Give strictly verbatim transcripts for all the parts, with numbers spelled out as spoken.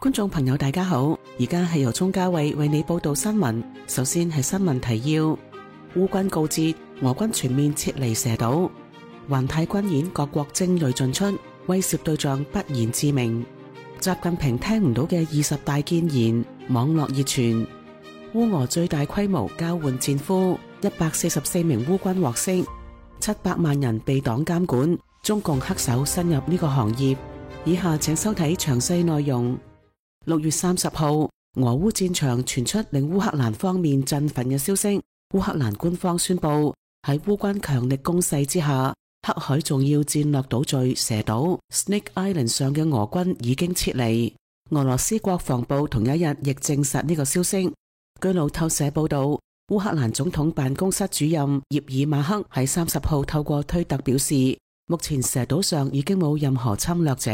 觀眾朋友大家好，而家係由鍾嘉慧為你報道新聞。首先係新聞提要：烏軍告捷，俄軍全面撤離蛇島；環太軍演各國精銳盡出，威懾對象不言自明；習近平聽唔到嘅二十大建言，網絡熱傳；烏俄最大規模交換戰俘，一百四十四名烏軍獲釋；七百萬人被黨監管，中共黑手伸入呢個行業。以下請收睇詳細內容。六月三十號，俄烏戰場傳出令烏克蘭方面振奮嘅消息。烏克蘭官方宣布，喺烏軍強力攻勢之下，黑海重要戰略島嶼蛇島 Snake Island 上嘅俄軍已經撤離。俄羅斯國防部同一日亦證實呢個消息。據路透社報道，烏克蘭總統辦公室主任葉爾馬克喺三十號透過推特表示，目前蛇島上已經冇任何侵略者，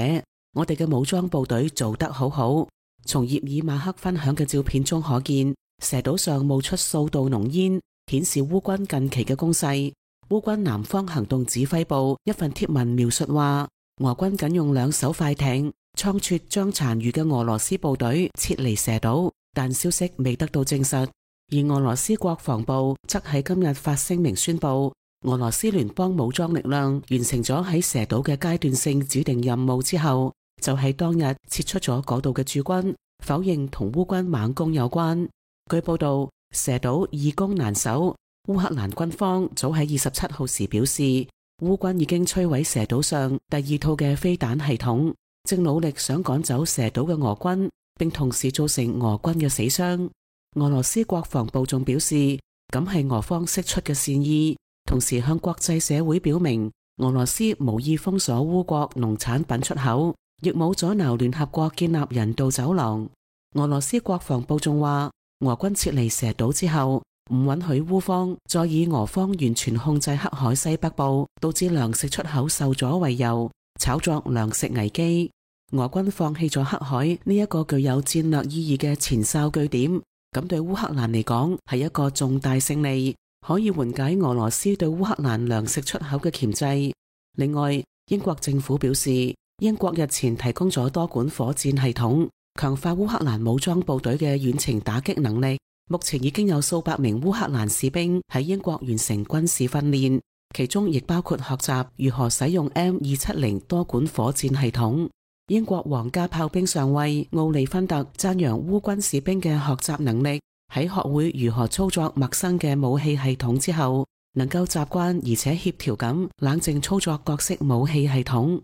我哋嘅武裝部隊做得好好。從葉爾馬克分享嘅照片中可見，蛇島上冒出數道濃煙，顯示烏軍近期嘅攻勢。烏軍南方行動指揮部一份貼文描述話，俄軍僅用兩艘快艇倉促將殘餘嘅俄羅斯部隊撤離蛇島，但消息未得到證實。而俄羅斯國防部則喺今日發聲明宣布，俄羅斯聯邦武裝力量完成咗喺蛇島嘅階段性指定任務之後，就喺當日撤出咗嗰度嘅駐軍，否認同烏軍猛攻有關。據報道，蛇島易攻難守，烏克蘭軍方早喺二十七號時表示，烏軍已經摧毀蛇島上第二套嘅飛彈系統，正努力想趕走蛇島嘅俄軍，並同時造成俄軍嘅死傷。俄羅斯國防部仲表示，咁係俄方釋出嘅善意，同時向國際社會表明，俄羅斯無意封鎖烏國農產品出口，亦冇阻撓聯合國建立人道走廊。俄羅斯國防部仲話，俄軍撤離蛇島之後，唔允許烏方再以俄方完全控制黑海西北部，導致糧食出口受阻為由，炒作糧食危機。俄軍放棄咗黑海呢一個具有戰略意義嘅前哨據點，咁對烏克蘭嚟講係一個重大勝利，可以緩解俄羅斯對烏克蘭糧食出口嘅鉗制。另外，英國政府表示，英國日前提供咗多管火箭系統，強化烏克蘭武裝部隊嘅遠程打擊能力。目前已經有數百名烏克蘭士兵喺英國完成軍事訓練，其中亦包括學習如何使用 M 二七零多管火箭系統。英國皇家炮兵上尉奧利芬特讚揚烏軍士兵嘅學習能力，喺學會如何操作陌生嘅武器系統之後，能夠習慣而且協調咁冷靜操作各式武器系統。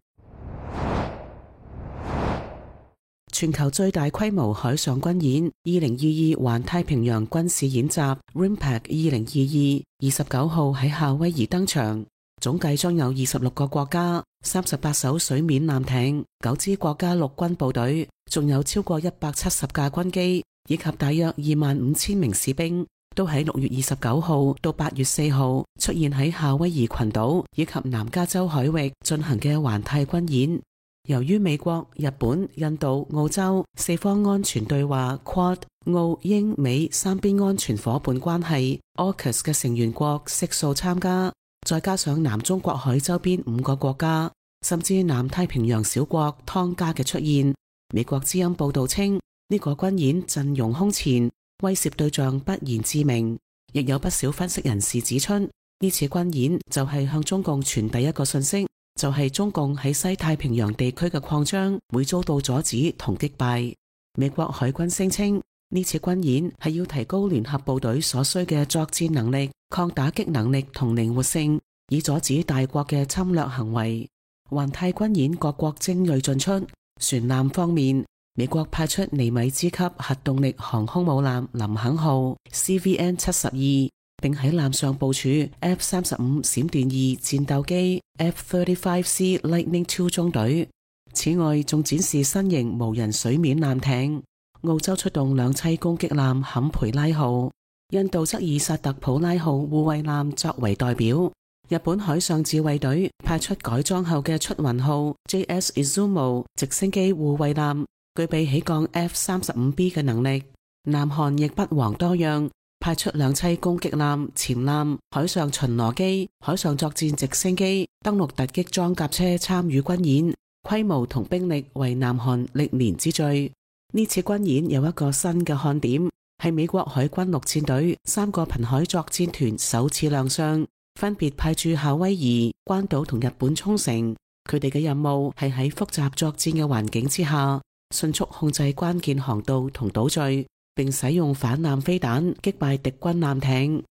全球最大規模海上軍演二零二二環太平洋軍事演習 RIMPAC 二零二二二十九號喺夏威夷登場，總計將有二十六個國家、三十八艘水面艦艇、九支國家陸軍部隊，仲有超過一百七十架軍機，以及大約二萬五千名士兵，都喺六月二十九號到八月四號出現喺夏威夷群島以及南加州海域進行嘅環太軍演。由於美國、日本、印度、澳洲四方安全對話 Quad 澳英美三邊安全夥伴關係 AUKUS 嘅成員國悉數參加，再加上南中國海周邊五個國家，甚至南太平洋小國湯加嘅出現，美國之音報道稱，呢、這個軍演陣容空前，威懾對象不言自明。亦有不少分析人士指出，呢次軍演就係向中共傳遞一個信息，就係中共喺西太平洋地區嘅擴張會遭到阻止同擊敗。美國海軍聲稱，呢次軍演係要提高聯合部隊所需嘅作戰能力、抗打擊能力同靈活性，以阻止大國嘅侵略行為。環太軍演各國精銳盡出。船艦方面，美國派出尼米茲級核動力航空母艦林肯號 C V N 七十二，並喺艦上部署 F 三十五 閃電二戰鬥機 F 三十五 C Lightning 二中隊。此外，仲展示新型無人水面艦艇。澳洲出動兩棲攻擊艦坎培拉號，印度則以薩特普拉號護衛艦作為代表。日本海上自衛隊派出改裝後嘅出雲號 J S Izumo 直升機護衛艦，具備起降 F 三十五 B 嘅能力。南韓亦不遑多讓，派出兩棲攻擊艦、潛艦、海上巡邏機、海上作戰直升機、登陸突擊裝甲車參與軍演，規模同兵力為南韓歷年之最。呢次軍演有一個新嘅看點，係美國海軍陸戰隊三個瀕海作戰團首次亮相，分別派駐夏威夷、關島同日本沖繩。佢哋嘅任務係喺複雜作戰嘅環境之下，迅速控制關鍵航道同島嶼，並使用反艦飛彈擊敗敵軍艦艇。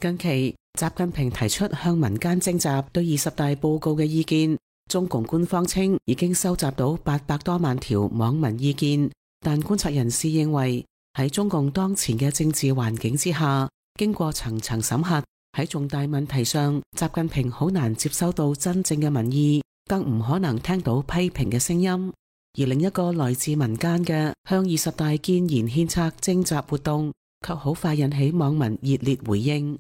近期，習近平提出向民間徵集對二十大報告嘅意見，中共官方稱已經收集到八百多萬條網民意見，但觀察人士認為喺中共當前嘅政治環境之下，經過層層審核，喺重大問題上，習近平好難接收到真正嘅民意，更唔可能聽到批評嘅聲音。而另一個來自民間嘅向二十大建言獻策徵集活動，卻好快引起網民熱烈回應。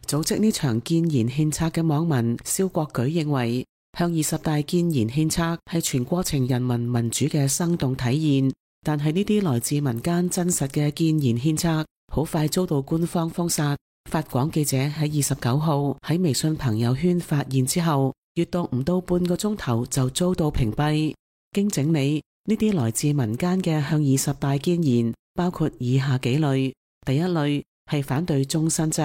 組織呢場建言獻策嘅網民蕭國舉認為，向二十大建言獻策係全過程人民民主嘅生動體現，但係呢啲來自民間真實嘅建言獻策，好快遭到官方封殺。法廣記者喺二十九號喺微信朋友圈發現之後，閱讀唔到半個鐘頭就遭到屏蔽。經整理，呢啲來自民間嘅向二十大建言包括以下幾類：第一類係反對終身制，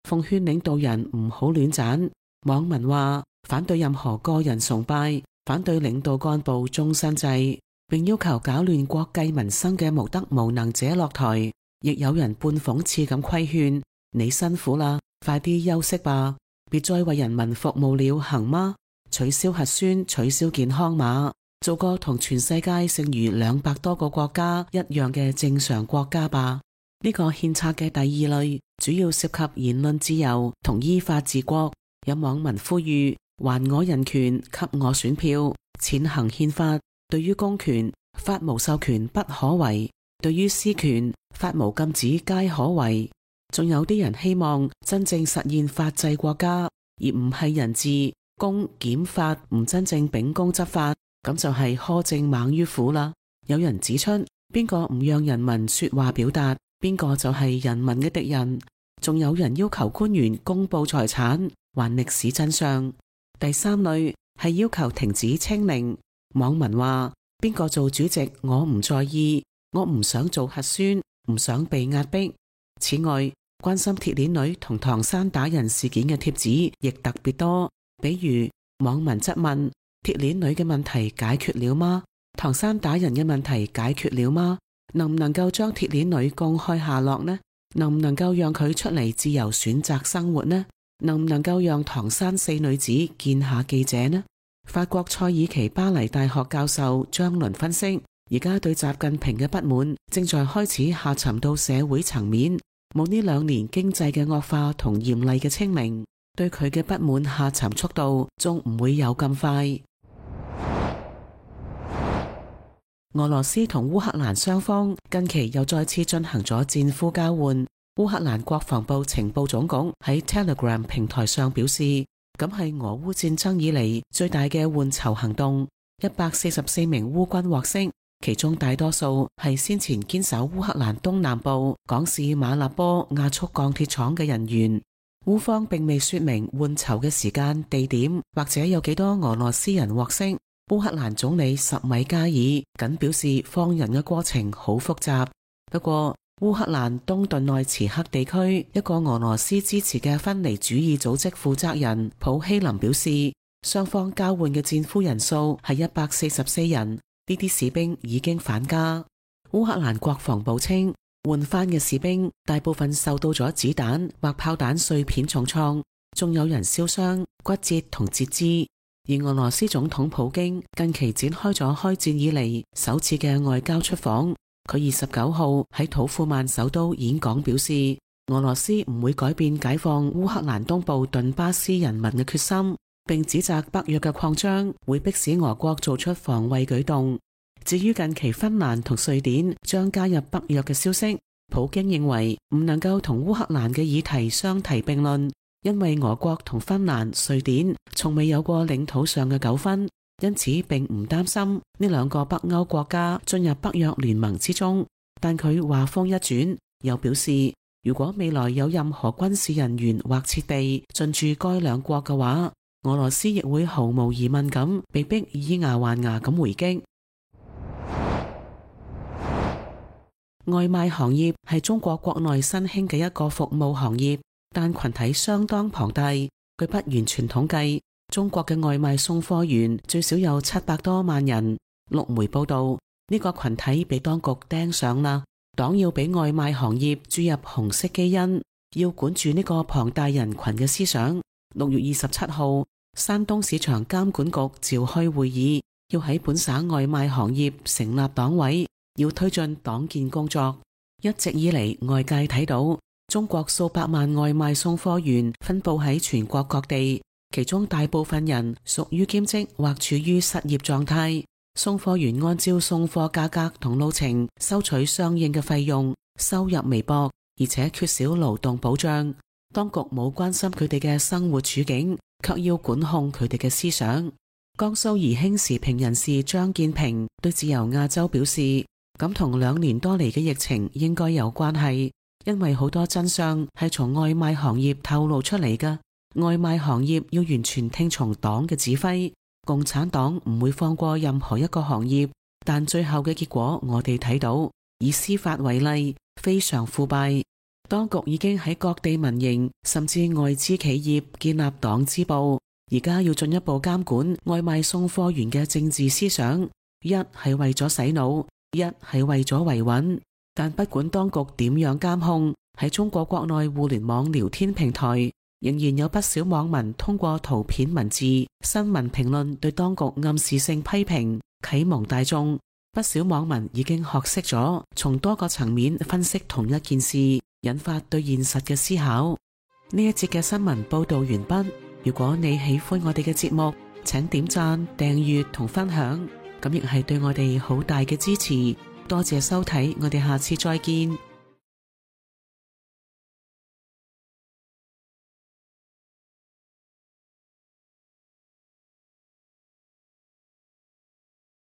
奉勸領導人唔好亂斬。網民話反對任何個人崇拜，反對領導幹部終身制，並要求搞亂國計民生嘅無德無能者落台。亦有人半諷刺咁規勸：你辛苦啦，快啲休息吧，別再為人民服務了，行嗎？取消核酸，取消健康碼，做個同全世界剩餘兩百多個國家一樣嘅正常國家吧。呢個獻策嘅第二類主要涉及言論自由同依法治國。有網民呼籲：還我人權，給我選票，踐行憲法。對於公權，法無授權不可為；對於私權，法無禁止皆可為。仲有啲人希望真正實現法治國家，而唔係人治、公、檢法唔真正秉公執法，咁就係苛政猛於虎啦。有人指出，邊個唔讓人民說話表達，邊個就係人民嘅敵人。仲有人要求官員公布財產，還歷史真相。第三類係要求停止清零。網民話：邊個做主席我唔在意，我唔想做核酸，唔想被壓迫。此外，關心鐵鏈女同唐山打人事件嘅帖子亦特別多，比如網民質問：鐵鏈女嘅問題解決了嗎？唐山打人嘅問題解決了嗎？能唔能夠將鐵鏈女公開下落呢？能唔能夠讓佢出嚟自由選擇生活呢？能唔能夠讓唐山四女子見下記者呢？法國塞爾奇巴黎大學教授張倫分析，而家對習近平嘅不滿正在開始下沉到社會層面。冇呢兩年經濟嘅惡化同嚴厲嘅清零，對佢嘅不滿下沉速度仲唔會有咁快。俄羅斯同烏克蘭雙方近期又再次進行咗戰俘交換。烏克蘭國防部情報總局喺 Telegram 平台上表示，咁係俄烏戰爭以嚟最大嘅換囚行動，一百四十四名烏軍獲釋，其中大多數係先前堅守烏克蘭東南部港市馬立波亞速鋼鐵廠嘅人員。烏方並未說明換囚嘅時間、地點或者有幾多俄羅斯人獲釋。烏克蘭總理什米加爾僅表示放人嘅過程好複雜。不過烏克蘭東頓內茨克地區一個俄羅斯支持嘅分離主義組織負責人普希林表示，雙方交換嘅戰俘人數係一百四十四人，呢啲士兵已經返家。烏克蘭國防部稱，換翻嘅士兵大部分受到咗子彈或炮彈碎片重創，仲有人燒傷、骨折同截肢。而俄羅斯總統普京近期展開咗開戰以嚟首次嘅外交出訪。佢二十九號喺土庫曼首都演講表示，俄羅斯唔會改變解放烏克蘭東部頓巴斯人民嘅決心，並指責北約嘅擴張會迫使俄國做出防衛舉動。至於近期芬蘭同瑞典將加入北約嘅消息，普京認為唔能夠同烏克蘭嘅議題相提並論，因為俄國同芬蘭、瑞典從未有過領土上嘅糾紛，因此並唔擔心呢兩個北歐國家進入北約聯盟之中。但佢話鋒一轉，又表示如果未來有任何軍事人員或設備進駐該兩國嘅話，俄羅斯亦會毫無疑問咁被迫以牙還牙咁回擊。外賣行業係中國國內新興嘅一個服務行業，但群體相當龐大。據不完全統計，中國嘅外賣送貨員最少有七百多萬人。陸媒報道，呢個群體被當局盯上啦，黨要俾外賣行業注入紅色基因，要管住呢個龐大人群嘅思想。六月二十七號，山東市場監管局召開會議，要喺本省外賣行業成立黨委，要推進黨建工作。一直以嚟，外界睇到中國數百萬外賣送貨員分佈喺全國各地，其中大部分人屬於兼職或處於失業狀態。送貨員按照送貨價格同路程收取相應嘅費用，收入微薄，而且缺少勞動保障。當局冇關心佢哋嘅生活處境，卻要管控佢哋嘅思想。江蘇宜興時評人士張建平對自由亞洲表示，咁同兩年多嚟嘅疫情應該有關係，因為好多真相係從外賣行業透露出嚟㗎。外賣行業要完全聽從黨嘅指揮，共產黨唔會放過任何一個行業，但最後嘅結果我哋睇到，以司法為例，非常腐敗。當局已經喺各地民營甚至外資企業建立黨支部，而家要進一步監管外賣送貨員嘅政治思想，一係為咗洗腦，一係為咗維穩。但不管當局點樣監控，喺中國國內互聯網聊天平台，仍然有不少網民通過圖片、文字、新聞評論對當局暗示性批評，啟蒙大眾。不少網民已經學識咗從多個層面分析同一件事，引發對現實嘅思考。呢一節嘅新聞報道完畢。如果你喜歡我哋嘅節目，請點讚、訂閱同分享，咁亦係對我哋好大嘅支持。多謝收睇，我哋下次再見。